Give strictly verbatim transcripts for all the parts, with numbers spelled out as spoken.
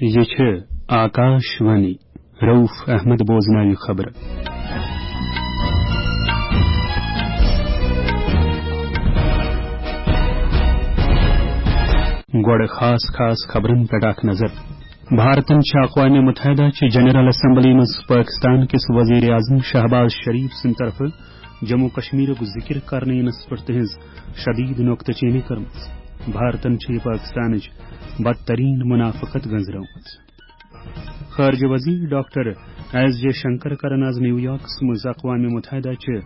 یہِ چھِ آکاش وانی۔ رؤف احمد بوزناوِ خبرٕ۔ گۄڈٕ خاص خاص خبرن پٮ۪ٹھ اکھ نظر۔ بھارتن چھِ اقوام متحدہ چہِ جنرل اسمبلی منٛز پٲکستان کِس وزیر اعظم شہباز شریف سٕنٛدِ طرفہٕ جموں کشمیرُک ذکر کرنہٕ یِنس پٮ۪ٹھ تہنٛز شدید نکتہٕ چینی کٔرمٕژ۔ بھارتن چھِ یہِ پٲکستانٕچ بدترین منافقت گنزرٲومٕژ۔ خارجہ وزیر ڈاکٹر ایس جے شنکر کرن آز نیویارکس منٛز اقوام متحدہ چہِ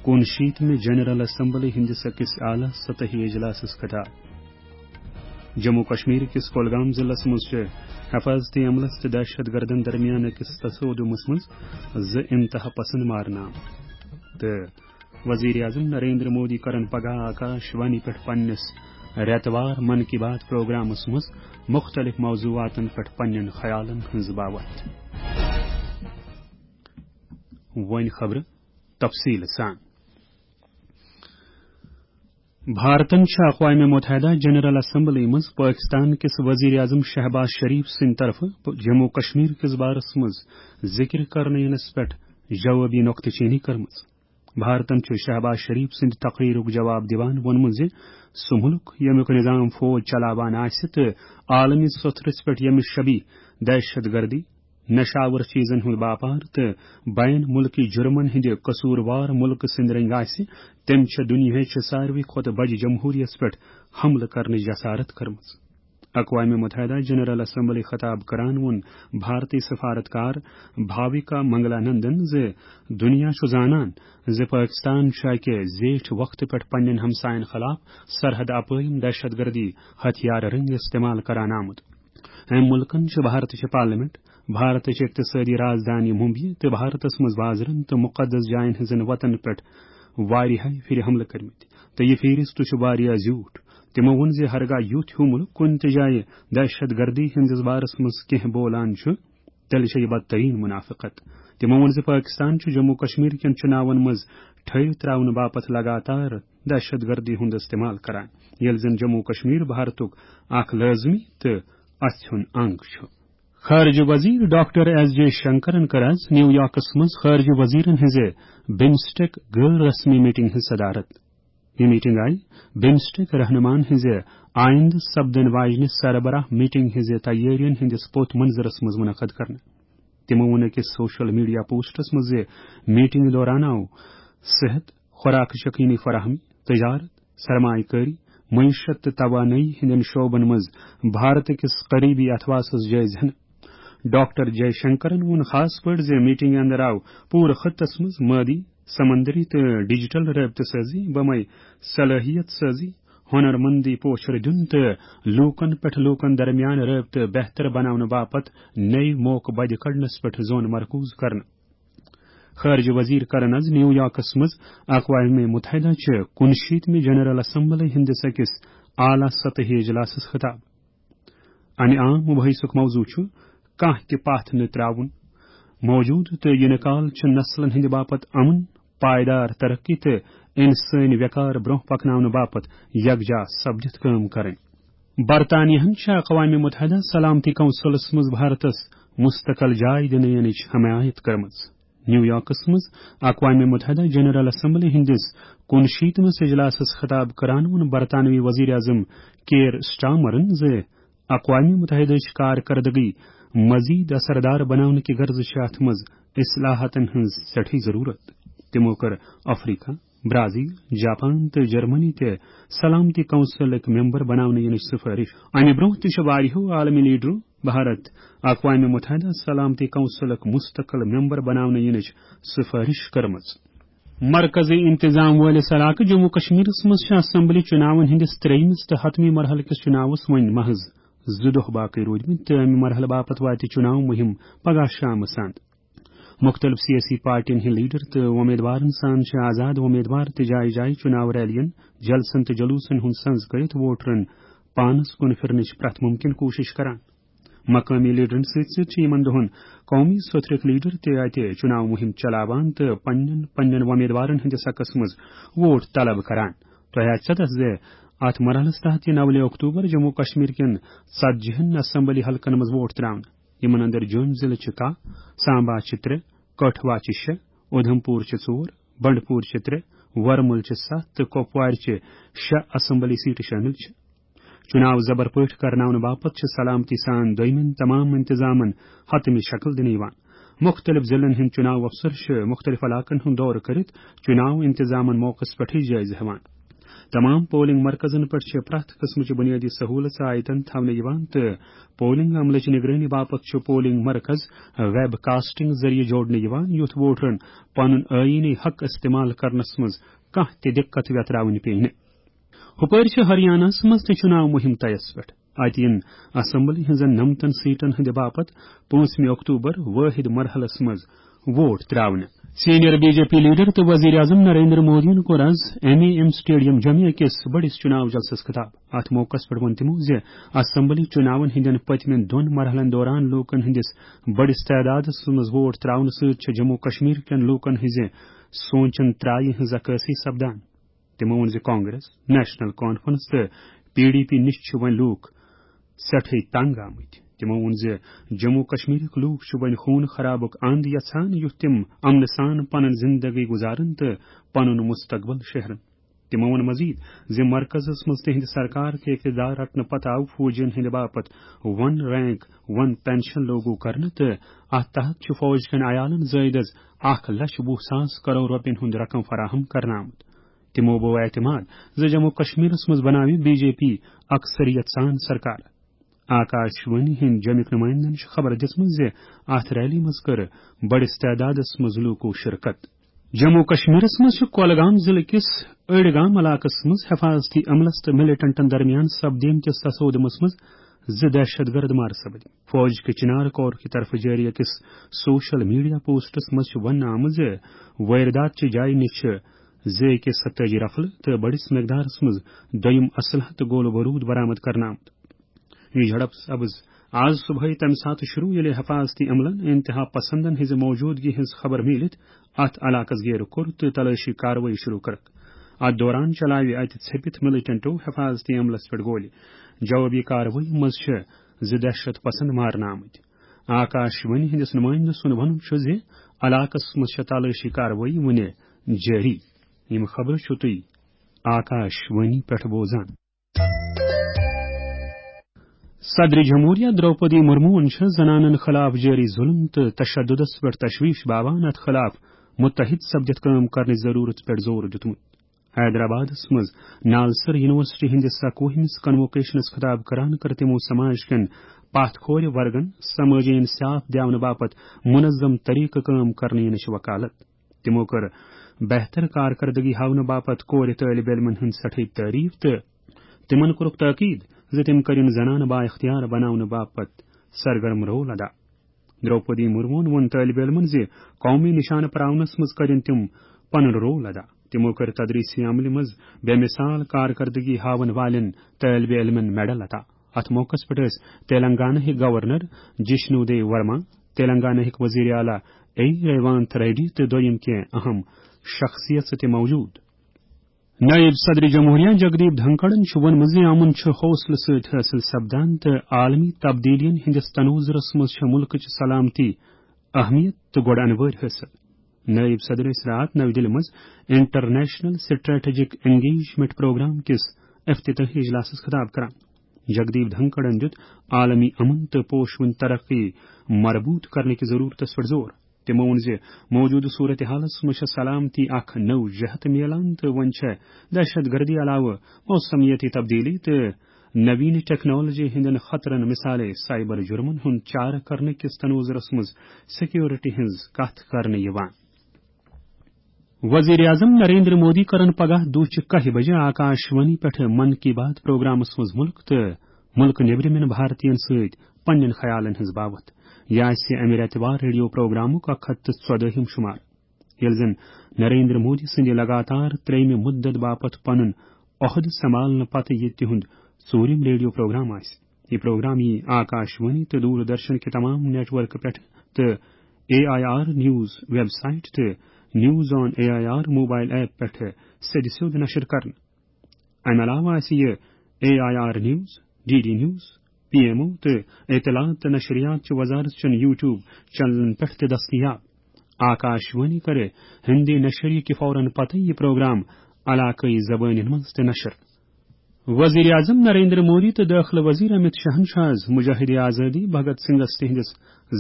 کُنشیتمہِ جنرل اسمبلی ہٕنٛدِس أکِس اعلیٰ سطحی اجلاسس خطاب۔ جموں کشمیر کِس کولگام ضلعس منٛز چھِ حفاظتی عملس تہٕ دہشت گردن درمیان أکِس تصادمس منٛز زٕ انتہا پسند مارنہٕ آمٕتۍ۔ تہٕ وزیر اعظم نریندر مودی کرن پگاہ آکاش وانی پٮ۪ٹھ پننِس رٮ۪تہٕ وار من کی بات پروگرامس منٛز مختلف موضوعاتن پٮ۪ٹھ پننٮ۪ن خیالن ہٕنٛز باوتھ۔ وۄنۍ خبرٕ تفصیٖل سان۔ بھارتن چھِ اقوام متحدہ جنرل اسمبلی منٛز پٲکستان کِس وزیر اعظم شہباز شریف سٕنٛدِ طرفہٕ جموں کشمیر کِس بارس منٛز ذکر کرنہٕ یِنس پٮ۪ٹھ جوابی نکتہٕ چینی کٔرمٕژ۔ بھارتن چھُ شہباز شریف سٕنٛدِ تقریرُک جواب دِوان ووٚنمُت زِ سُہ مُلک، ییٚمیُک نظام فوج چلاوان آسہِ تہٕ عالمی سطحس پٮ۪ٹھ ییٚمہِ شبی دہشت گردی، نشاور چیزن ہُنٛد باپار تہٕ بین ملکی جرمن ہٕنٛدِ قصوٗروار مُلکہٕ سٕنٛدِ رٔنٛگۍ آسہِ، تٔمۍ چھےٚ دُنیاہٕچ ساروی کھۄتہٕ بجہِ جمہوریتس پٮ۪ٹھ حملہٕ کرنٕچ جسارت کٔرمٕژ۔ اقوام متحدہ جنرل اسمبلی خطاب کران ووٚن بھارتی سفارتکار بھاویکا منگلا نندن زِ دُنیا چھُ زانان زِ پٲکستان چھُ اَکہِ زیٹھِ وقتہٕ پٮ۪ٹھ پننٮ۪ن ہمساین خلاف سرحد اپٲرۍ دہشت گردی ہتھیار رٔنگۍ استعمال کران آمُت۔ أمۍ مُلکَن چھِ بھارتٕچ پارلیمنٹ، بھارتٕچ اقتصٲدی رازدانی ممبئی تہٕ بھارتَس منٛز بازرَن تہٕ مُقدس جاین ہٕنٛزن وَتَن پٮ۪ٹھ واریاہہِ پھِرِ حملہٕ کٔرمٕتۍ تہٕ یہِ فہرست چھُ واریاہ زیوٗٹھ۔ تِمو ووٚن زِ ہرگاہ یُتھ ہیوٗ مُلک کُنہِ تہِ جایہِ دہشت گردی ہٕنٛدِس بارَس منٛز کینٛہہ بولان چھُ، تیٚلہِ چھےٚ یہِ بدترین منافقت۔ تِمو ووٚن زِ پٲکستان چھُ جموں کشمیر کٮ۪ن چُناون منٛز ٹھٔہرِتھ ترٛاونہٕ باپتھ لگاتار دہشت گردی ہُنٛد استعمال کران، ییٚلہِ زن جموں کشمیر بھارتُک اکھ لٲزمی تہٕ اَژھیُن انگ چھُ۔ خارجہ وزیر ڈاکٹر ایس جے شنکرن کٔر آز نیویارکس منٛز خارجہ وزیرن ہٕنٛزِ بمسٹیک غٲر رسمی میٹنگ ہٕنٛز صدارت۔ یہِ میٹنگ آیہِ بمسٹیک رہنمان ہٕنٛزِ آیندٕ سپدن واجنہِ سربراہ میٹنگ ہٕنٛزِ تیٲرین ہٕنٛدِس پوت منظرس منٛز منعقد کرنہٕ۔ تِمو ووٚن أکِس سوشل میڈیا پوسٹس منٛز زِ میٹنگ دوران آو صحت، خوراک یقینی فراہمی، تجارت، سرمایہ کٲری، معیشت تہٕ توانٲیی ہٕنٛدٮ۪ن شعبن منٛز بھارت کِس قریبی اتھواسس جٲیزٕ ہنہٕ۔ ڈاکٹر جے شنکرن ووٚن خاص پٲٹھۍ زِ میٹنگہِ اندر آو پوٗرٕ خطس منٛز مٲدی، سمندری تہٕ ڈیجیٹل رٲبطہٕ سٲزی، بمے صلٲحیت سٲزی، ہنرمندی پوچھر دیُن تہٕ لوٗکن پٮ۪ٹھ لوٗکن درمیان رٲبطہٕ بہتر بناونہٕ باپتھ نٔوۍ موقعہٕ بدِ کڑنس پٮ۪ٹھ زون مرکوز کرنہٕ۔ خارجہ وزیر کرن آز نیویارکس منٛز اقوام متحدہ چہِ کُنشیتمہِ جنرل اسمبلی ہٕنٛدِس أکِس اعلیٰ سطحی اجلاسس خطاب۔ امہِ عام مباحثُک موضوع چھُ کانٛہہ تہِ پتھ نہٕ ترٛاوُن۔ موجودٕ تہٕ یِنہٕ کال چھِ نسلن ہٕنٛدِ باپتھ امن، پائیدار ترقی تہٕ انسٲنی وقار برونٛہہ پکناونہٕ باپتھ یکجا سپدِتھ کٲم کرٕنۍ۔ برطانیہن چھِ اقوام متحدہ سلامتی کونسلس منٛز بھارتس مستقل جاے دِنہٕ یِنٕچ حمایت کٔرمٕژ۔ نیویارکس منٛز اقوام متحدہ جنرل اسمبلی ہٕنٛدِس کُنشیتمس اجلاسس خطاب کران ووٚن برطانوی وزیر اعظم کیئر سٹارمرن زِ اقوام متحدہٕچ کارکردگی مزید اثردار بناونہٕ کہِ غرضہٕ چھِ اتھ منٛز اصلاحاتن ہٕنٛز سٮ۪ٹھٕے ضروٗرت۔ تِمو کٔر افریقہ، برازیل، جاپان تہٕ جرمنی تہِ سلامتی کونسلٕکۍ ممبر بناونہٕ یِنٕچ سفارش۔ امہِ برونٛہہ تہِ چھِ واریاہو عالمی لیڈرو بھارت اقوام متحدہ سلامتی کونسلُک مستقل ممبر بناونہٕ یِنٕچ سفارش کٔرمٕژ۔ مرکزی انتظام وٲلِس علاقہٕ جموں کشمیرس منٛز چھِ اسمبلی چُناون ہٕنٛدِس ترٛیٚیمِس تہٕ حتمی مرحلہٕ کِس چُناوس وۄنۍ محض زٕ دۄہ باقٕے روٗدمٕتۍ تہٕ امہِ مرحلہٕ باپتھ واتہِ چُناو مُہِم پگاہ شامس اند۔ مُختٔلِف سیٲسی پارٹین ہٕنٛدۍ لیڈر تہٕ وۄمیدوارن سان چھِ آزاد وۄمیدوار تہِ جایہِ جایہِ چُناو ریلین، جلسن تہٕ جلوسن ہُنٛد سنز کٔرِتھ ووٹرن پانس کُن پھِرنٕچ پرٛٮ۪تھ مُمکِن کوٗشِش کران۔ مقٲمی لیڈرن سۭتۍ سۭتۍ چھِ یِمن دۄہن قومی سوتھرٕکۍ لیڈر تہِ اتہِ چُناو مُہِم چلاوان تہٕ پننٮ۪ن پننٮ۪ن وۄمیدوارن ہٕنٛدِس حقس منٛز ووٹ طلب کران۔ تۄہہِ آسہِ ژےٚ تس زِ اتھ مرحلس تحت یِن اولہِ اکتوبر جموں کشمیر کٮ۪ن ژتجی ہن اسمبلی حلقن منٛز ووٹ تراونہٕ۔ یِمن اندر جوٚم ضلعہٕ چھِ کاہ، سامبا چھِ ترٛےٚ، کٹھوا چھِ شےٚ، اودھمپور چھِ ژور، بنڈپور چھِ ترٛےٚ، ورمُل چھِ ستھ تہٕ کپوارِ چھِ شےٚ اسمبلی سیٹہٕ شٲمِل چھِ۔ چُناو زبر پٲٹھۍ کرناونہٕ باپتھ چھِ سلامتی سان دوٚیمٮ۪ن تمام انتظامن حتمی شکل دِنہٕ یِوان۔ مُختٔلِف ضلعن ہٕنٛدۍ چُناو افسر چھِ مُختٔلِف علاقن ہُنٛد دورٕ کٔرِتھ چُناو انتظامن موقعس پٮ۪ٹھٕے جٲیزٕ ہٮ۪وان۔ تمام پولنگ مرکزن پٮ۪ٹھ چھِ پرٛٮ۪تھ قٕسمٕچہِ بُنیٲدی سہوٗلژٕ آیتن تھاونہٕ یِوان تہٕ پولنگ عملٕچ نگرٲنی باپتھ چھُ پولنگ مرکز ویب کاسٹنگ ذٔریعہٕ جوڑنہٕ یِوان، یُتھ ووٹرن پنُن ٲییٖنی حق استعمال کرنس منٛز کانٛہہ تہِ دِقت ویتراوٕنۍ پیٚیہِ نہٕ۔ ہُپٲرۍ چھِ ہریاناہس منٛز تہِ چُناو مُہِم طیس پٮ۪ٹھ۔ اتہِ یِن اسمبلی ہٕنٛزن نَمتن سیٹن ہٕنٛدِ باپتھ پانٛژمہِ اکتوبر وٲحد مرحلس منٛز ووٹ تراونہٕ۔ Senior B J P leader تہٕ وزیر اعظم نریندر مودیَن کوٚر از ایم اے ایم سٹیڈیم جمعہ کِس بٔڑِس چُناو جلسس خطاب۔ اتھ موقعس پٮ۪ٹھ ووٚن تِمو زِ اسمبلی چُناون ہٕنٛدٮ۪ن پٔتمٮ۪ن دۄن مرحلن دوران لوٗکن ہٕنٛدِس بٔڑِس تعدادس منٛز ووٹ تراونہٕ سۭتۍ چھِ جموں کشمیر کٮ۪ن لوٗکن ہٕنٛزِ سونچن ترایہِ ہٕنٛز عکٲسی سپدان۔ تِمو ووٚن زِ کانگریس، نیشنل کانفرنس تہٕ پی ڈی پی نِش چھِ وۄنۍ لوٗکھ سٮ۪ٹھٕے تنگ آمٕتۍ۔ تِمو ووٚن زِ جموں کشمیرٕکۍ لوٗکھ چھِ وۄنۍ خوٗن خرابُک اند یژھان، یُتھ تِم امنہٕ سان پنٕنۍ زندگی گُزارن تہٕ پنُن مستقبل شیہرن۔ تِمو ووٚن مزید زِ مرکزس منٛز تِہنٛدِ سرکار کہِ اقتدار رٹنہٕ پتہٕ آو فوجین ہٕنٛدِ باپتھ ون رینک ون پینشن لاگو کرنہٕ تہٕ اتھ تحت چھُ فوج کٮ۪ن عیالن زٲیدس اکھ لچھ وُہ ساس کرور رۄپین ہُنٛد رقم فراہم کرنہٕ آمُت۔ تِمو بوو اعتماد زِ جموں کشمیرس منٛز بناوِ بی جے پی اکثریت سان سرکار۔ آکاش وانی ہٕنٛدۍ جمِکۍ نُمٲیندن چھِ خبر دِژمٕژ زِ اتھ ریلی منٛز کٔر بٔڑِس تعدادس منٛز لوٗکو شرکت۔ جموں کشمیرس منٛز چھِ کولگام ضلعہٕ کِس أڑۍ گام علاقس منٛز حفاظتی عملس تہٕ ملیٹنٹن درمیان سپدیمتِس تصادمس منٛز زٕ دہشت گرد مارٕ سپدۍ۔ فوج کہِ چنار کور کہِ طرفہٕ جٲری أکِس سوشل میڈیا پوسٹس منٛز چھُ وننہٕ آمُت زِ وٲردات چہِ جایہِ نِش چھِ زٕ اے کے ستٲجی رفلہٕ تہٕ بٔڑِس مقدارس منٛز دوٚیِم اسلحہٕ تہٕ گولہٕ بروٗد برآمد کرنہٕ آمُت۔ یہِ جھڑپ سپٕز آز صبحٲے تَمہِ ساتہٕ شروٗع، ییٚلہِ حفاظتی عملن انتہا پسندن ہٕنٛزِ موجودگی ہٕنٛز خبر میٖلِتھ اتھ علاقس گیرٕ کوٚر تہٕ تلٲشی کاروٲیی شروٗع کٔرٕکھ۔ اتھ دوران چلاوِ اتہِ ژھیٚپِتھ ملیٹنٹو حفاظتی عملس پٮ۪ٹھ گولہِ۔ جوابی کاروٲیی منٛز چھِ زٕ دہشت پسند مارنہٕ آمٕتۍ۔ آکاش وانی ہٕنٛدِس نُمٲیندٕ سُنٛد وَنُن چھُ زِ علاقس منٛز چھےٚ تلٲشی کاروٲیی وُنہِ جٲری۔ یِم خبرٕ چھِو تُہۍ آکاش وانی پٮ۪ٹھ بوزان۔ صدر جمہوریہ درٛوپدی مرموہن چھِ زنانن خلاف جٲری ظلم تہٕ تشددس پٮ۪ٹھ تشویش باوان اتھ خلاف متحد سپدِتھ کٲم کرنٕچ ضرورت پٮ۪ٹھ زور دیُتمُت۔ حیدرآبادس منٛز نالسر یونیورسٹی ہٕنٛدِس اکوُہمِس کنووکیشنس خطاب کران کٔر تِمو سماج کٮ۪ن پتھ کھورِ ورگن سمٲجی انصاف دیاونہٕ باپتھ منظم طریقہٕ کٲم کرنہٕ یِنٕچ وکالت۔ تِمو کٔر بہتر کارکردگی ہاونہٕ باپتھ کورِ طٲلب علمن ہٕنٛز سٮ۪ٹھٕے تعریف تہٕ تِمن کوٚرُکھ تاکید زِ تِم کٔرِن زنانہٕ با اختیار بناونہٕ باپتھ سرگرم رول ادا۔ درٛوپدی مرموہن ووٚن طٲلب علمن زِ قومی نشانہٕ پراونس منٛز کٔرِن تِم پنُن رول ادا۔ تِمو کٔر تدریسی عملہِ منٛز بے مثال کارکردگی ہاون والٮ۪ن طٲلب علمن میڈل عطا۔ اتھ موقعس پٮ۪ٹھ ٲسۍ تیلنگانہ ہٕکۍ گورنر جشنو دیو ورما، تیلنگانہ ہٕکۍ وزیر اعلیٰ اے ریوانت ریڈی تہٕ دوٚیِم کینٛہہ اہم شخصیژٕ تہِ موجود۔ نائب صدر جمہوریہ جگدیپ دھنکڑن چھُ ووٚنمُت زِ امن چھُ حوصلہٕ سۭتۍ حٲصِل سپدان تہٕ عالمی تبدیلیَن ہٕنٛدِس تنوظرس منٛز چھےٚ مُلکٕچ سلامتی اہمیت تہٕ گۄڈٕ انوٲرۍ حٲصِل۔ نائب صدر ٲسۍ راتھ نَوِ دِلہِ منٛز انٹرنیشنل سٹریٹجک انگیجمنٹ پروگرام کِس افتتاحی اجلاسس خطاب کران۔ جگدیپ دھنکڑن دیُت عالمی امن تہٕ پوشوٕنۍ ترقی مربوط کرنہٕ کِس ضرورتس پٮ۪ٹھ زور۔ تِمو ووٚن زِ موجودٕ صورتحالس منٛز چھےٚ سلامتی اکھ نٔو جہت میلان تہٕ وۄنۍ چھےٚ دہشت گردی علاوٕ موسمیٲتی تبدیلی تہٕ نوین ٹیکنالوجی ہٕنٛدٮ۪ن خطرن، مثالے سائبر جرمن ہُنٛد چارٕ کرنہٕ کِس تنوظرس منٛز سیکیورٹی ہٕنٛز کتھ کرنہٕ یِوان۔ وزیر اعظم نریندر مودی کرن پگاہ دُہچہِ کاہہِ بجہِ آکاش وانی پٮ۪ٹھ من کی بات پروگرامس منٛز مُلک تہٕ مُلکہٕ نیبرِمٮ۪ن بھارتین سۭتۍ پننٮ۪ن خیالن ہٕنٛز باوتھ۔ یہِ آسہِ امہِ رٮ۪تہٕ وار ریڈیو پروگرامُک اکھ ہتھ تہٕ ژۄدٲہِم شُمار۔ ییٚلہِ زن نریندر مودی سٕنٛدِ لگاتار ترٛیٚیمہِ مُدت باپتھ پنُن عہدٕ سنبھالنہٕ پتہٕ یہِ تِہُنٛد ژوٗرِم ریڈیو پروگرام آسہِ۔ یہِ پروگرام یِیہِ آکاش وانی تہٕ دوردرشن کہِ تمام نیٹ ورکہٕ پٮ۪ٹھ تہٕ A I R news website تہٕ news on A I R mobile app پٮ۪ٹھ سیٚدِ سیوٚد نشر کرنہٕ۔ امہِ علاوٕ آسہِ یہِ A I R news, D D news, P M O تہٕ اطلاعات تہٕ نشریات چہِ وزارت چٮ۪ن یوٹیوب چینلن پٮ۪ٹھ تہِ دٔستیاب۔ آکاش وانی کرِ ہندی نشریہِ کہِ فوراً پتہٕ یہِ پروگرام علاقٲیی زبٲنٮ۪ن منٛز تہِ نشر۔ وزیر اعظم نریندر مودی تہٕ دٲخلہٕ وزیر امت شاہن چھُ آز مجاہد آزادی بھگت سنگھس تِہنٛدِس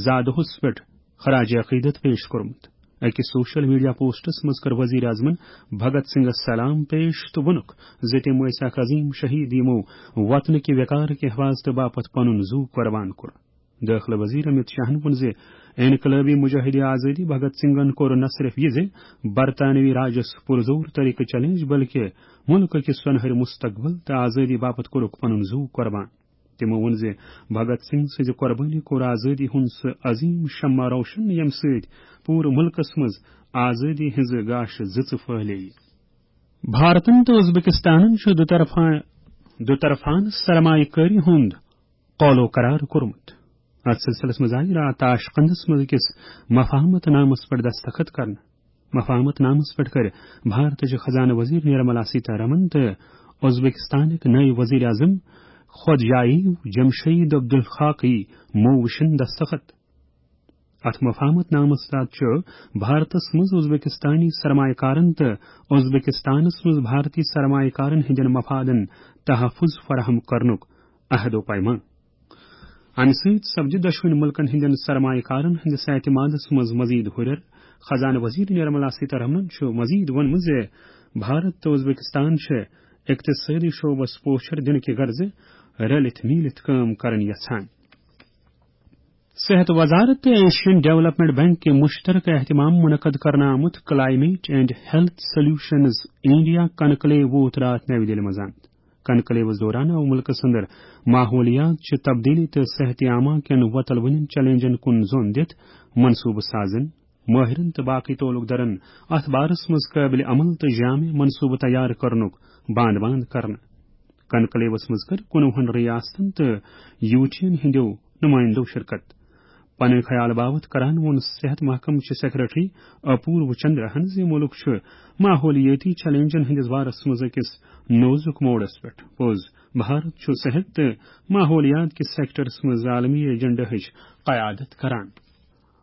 زا دۄہس پٮ۪ٹھ خراج عقیدت پیش کوٚرمُت۔ أکِس سوشل میڈیا پوسٹس منٛز کٔر وزیر اعظمن بھگت سنگھس سلام پیش تہٕ ووٚنُکھ زِ تِم ٲسۍ اکھ عظیم شہید، یِمو وطنٕکہِ وقارٕکہِ حفاظتہٕ باپتھ پنُن زُو قربان کوٚر۔ دٲخلہٕ وزیر امت شاہن ووٚن زِ انقلٲبی مجاہد آزادی بھگت سنگھن کوٚر نہ صرف یہِ زِ برطانوی راجس پُرزور طریقہٕ چیلنج، بلکہِ مُلکہٕ کہِ سۄنہرِ مستقبل تہٕ آزادی باپتھ کوٚرُکھ پنُن زُو قربان۔ تِمو ووٚن زِ بھگت سنگھ سٕنٛزِ قربٲنی کوٚر آزٲدی ہُنٛد سُہ عظیم شمع روشن، ییٚمہِ سۭتۍ پوٗرٕ مُلکس منٛز آزٲدی ہٕنٛزٕ گاشہِ زٕژٕ پھٔہلییہِ۔ بھارتن تہٕ ازبکستانن چھُ دُطرفا-، دُطرفانہٕ سرمایہ کٲری ہُنٛد قولو قرار کوٚرمُت۔ اتھ سلسلس منٛز آیہِ راتھ تاشقندس منٛز أکِس مفاہمت نامس پٮ۪ٹھ دستخط کرنہٕ۔ مفاہمت نامس پٮ۪ٹھ کٔرۍ بھارتٕچ خزانہٕ وزیر نرملا سیتارمن تہٕ ازبکستانٕکۍ نٔوۍ وزیر اعظم خودجاییو جمشید عبدالخاقی مووشن دستخط۔ اتھ مفاہمت نامس تحت چھُ بھارتس منٛز ازبکستانی سرمایہ کارن تہٕ ازبکستانس منٛز بھارتی سرمایہ کارن ہٕنٛدٮ۪ن مفادن تحفظ فراہم کرنُک عہد و پیمان۔ امہِ سۭتۍ سپدِ دۄشوٕنی مُلکن ہٕنٛدٮ۪ن سرمایہ کارن ہٕنٛدِس اعتمادس منٛز مزید ہُرٮ۪ر۔ خزانہٕ وزیر نرملا سیتارمنن چھُ مزید ووٚنمُت زِ بھارت تہٕ ازبکستان چھِ اقتصٲدی شعبس پوچھر دِنہٕ کہِ غرضہٕ رلِتھ میٖلِتھ کٲم کرٕنۍ یژھان۔ صحت وزارت تہٕ ایشین ڈیولپمنٹ بینک کہِ مشترکہ اہتمام منعقد کرنہٕ آمُت climate and health solutions India conclave ووت راتھ نَوِ دِلہِ منٛز اند۔ کنکلیوس دوران آو مُلکس اندر ماحولیات چہِ تبدیلی تہٕ صحت عامہ کٮ۪ن وۄتلوٕنٮ۪ن چیلنجن کُن زوٚن دِتھ منصوبہٕ سازن، مٲہرن تہٕ باقٕے تعلق دارن اتھ بارس منٛز قٲبلِ عمل تہٕ جامع منصوبہٕ تیار کرنُک باند باند کرنہٕ۔ کنکلیوس منٛز کٔر کُنوُہن ریاستن تہٕ یوٗٹین ہٕنٛدیو نُمٲیندو شرکت۔ پنٕنۍ خیال باوت کران ووٚن صحت محکمہٕ چہِ سیکرٹری اپورو چندراہن زِ مُلک چھُ ماحولیٲتی چیلنجن ہٕنٛدِس بارس منٛز أکِس نوزُک موڑس پٮ۪ٹھ۔ پوٚز، بھارت چھُ صحت تہٕ ماحولیات کِس سیکٹرس منٛز عالمی ایجنڈاہٕچ قیادت کران۔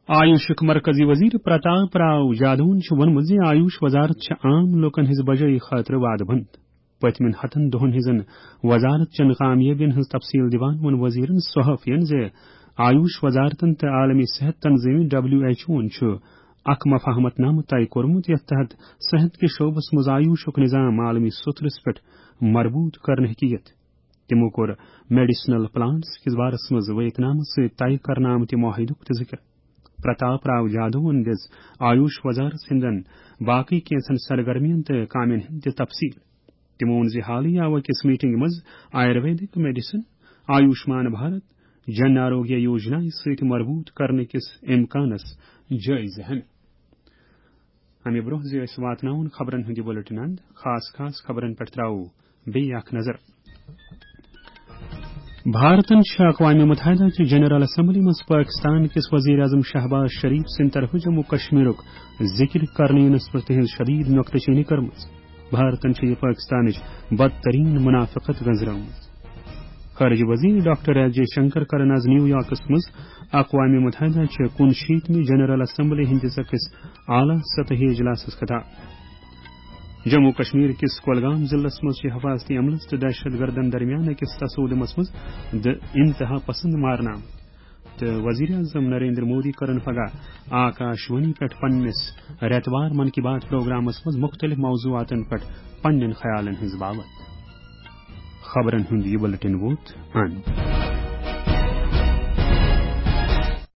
آیوشُک مرکزی وزیر پرتاپ راو جادوَن چھُ ووٚنمُت زِ آیوش وزارت چھِ عام لوٗکَن ہٕنٛز بجٲیی خٲطرٕ وعدٕ بنٛد۔ پٔتمٮ۪ن ہَتَن دۄہَن ہٕنٛزن وزارت چٮ۪ن کامیٲبِین ہٕنٛز تفصیٖل دِوان ووٚن وزیرَن صحافیَن زِ آیوش وزارتَن تہٕ عالمی صحت تنظیٖم ڈبلیو ایچ اوَن چھُ اکھ مفاہمت نامہٕ طے کوٚرمُت، یَتھ تحت صحت کِس شعبَس منٛز آیوشُک نظام عالمی سطحس پٮ۪ٹھ مربوط کرنہٕ ہیٚکہِ یِتھ۔ تِمو کوٚر میڈیسنل پلانٹس کِس بارس منٛز ویتنامس سۭتۍ طے کرنہٕ آمتہِ معاہدُک تہِ ذِکر۔ پرتاپ راو جادوَن دِژ آیوش وزارت ہٕنٛدٮ۪ن باقٕے کینٛژن سرگرمیَن تہٕ کامٮ۪ن ہٕنٛز تہِ تفصیٖل۔ تِمو ووٚن زِ حالٕے آو أکِس میٹنگہِ منٛز آیورویدک میڈیسن، آیوشمان بھارت، جن آروگیہ یوجنا سۭتۍ مربوط کرنہٕ کِس امکانس جٲیزٕ ہٮ۪نہٕ۔ امہِ برونٛہہ زِ أسۍ واتناوون خبرن ہُنٛد یہِ بُلٹن اند، خاص خاص خبرن پٮ۪ٹھ تراوو بیٚیہِ اکھ نظر۔ بھارتن چھِ اقوام متحدہ چہِ جنرل اسمبلی منٛز پٲکستان کِس وزیر اعظم شہباز شریف سٕنٛدِ طرفہٕ جموں کشمیرُک ذِکر کرنہٕ یِنس پٮ۪ٹھ تِہنٛز شدید نۄکتہٕ چینی کٔرمٕژ۔ بھارتن چھِ یہِ پٲکستانٕچ بدترین منافقت گنزرٲومٕژ۔ خارجہ وزیر ڈاکٹر ایس جے شنکر کرن آز نیو یارکس منٛز اقوام متحدہ چہِ کُنشیٖتمہِ جنرل اسمبلی ہٕنٛدِس أکِس اعلیٰ سطحی اجلاسس خطاب۔ جموں کشمیر کِس کولگام ضلعس منٛز چھِ حفاظتی عملس تہٕ دہشت گردن درمیان أکِس تصادمس منٛز دِ-، انتہا پسند مارنہٕ آمٕتۍ۔ تہٕ وزیر اعظم نریندر مودی کرن پگاہ آکاش وانی پٮ۪ٹھ پننِس رٮ۪توار من کی بات پروگرامس منٛز مُختٔلِف موضوعاتن پٮ۪ٹھ پننٮ۪ن خیالن ہٕنٛز باوتھ۔ خبرن ہُنٛد یہِ بُلٹن ووت اند۔